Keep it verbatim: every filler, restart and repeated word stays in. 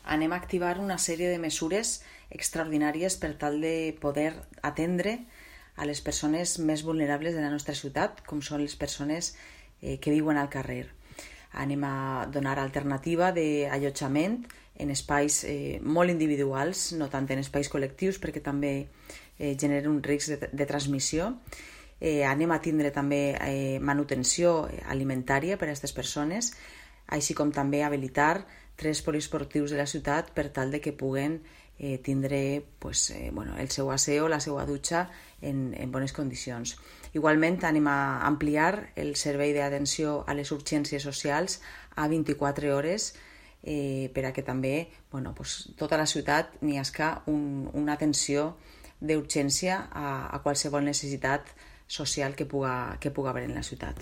anem a activar una sèrie de mesures extraordinàries per tal de poder atendre a les persones més vulnerables de la nostra ciutat, com són les persones eh, que viuen al carrer. Anem a donar alternativa d'allotjament en espais eh, molt individuals, no tant en espais col·lectius, perquè també eh, generen un risc de, de transmissió. Eh, anem a tindre també eh, manutenció alimentària per a aquestes persones, així com també habilitar tres poliesportius de la ciutat per tal de que puguen eh, tindre pues, eh, bueno, el seu aseo, la seva dutxa en, en bones condicions. Igualment anem a ampliar el servei d'atenció a les urgències socials a vint-i-quatre hores eh, per a que també bueno, pues, tota la ciutat n'hi hagi un, una atenció d'urgència a, a qualsevol necessitat social que puga, que puga haver en la ciutat.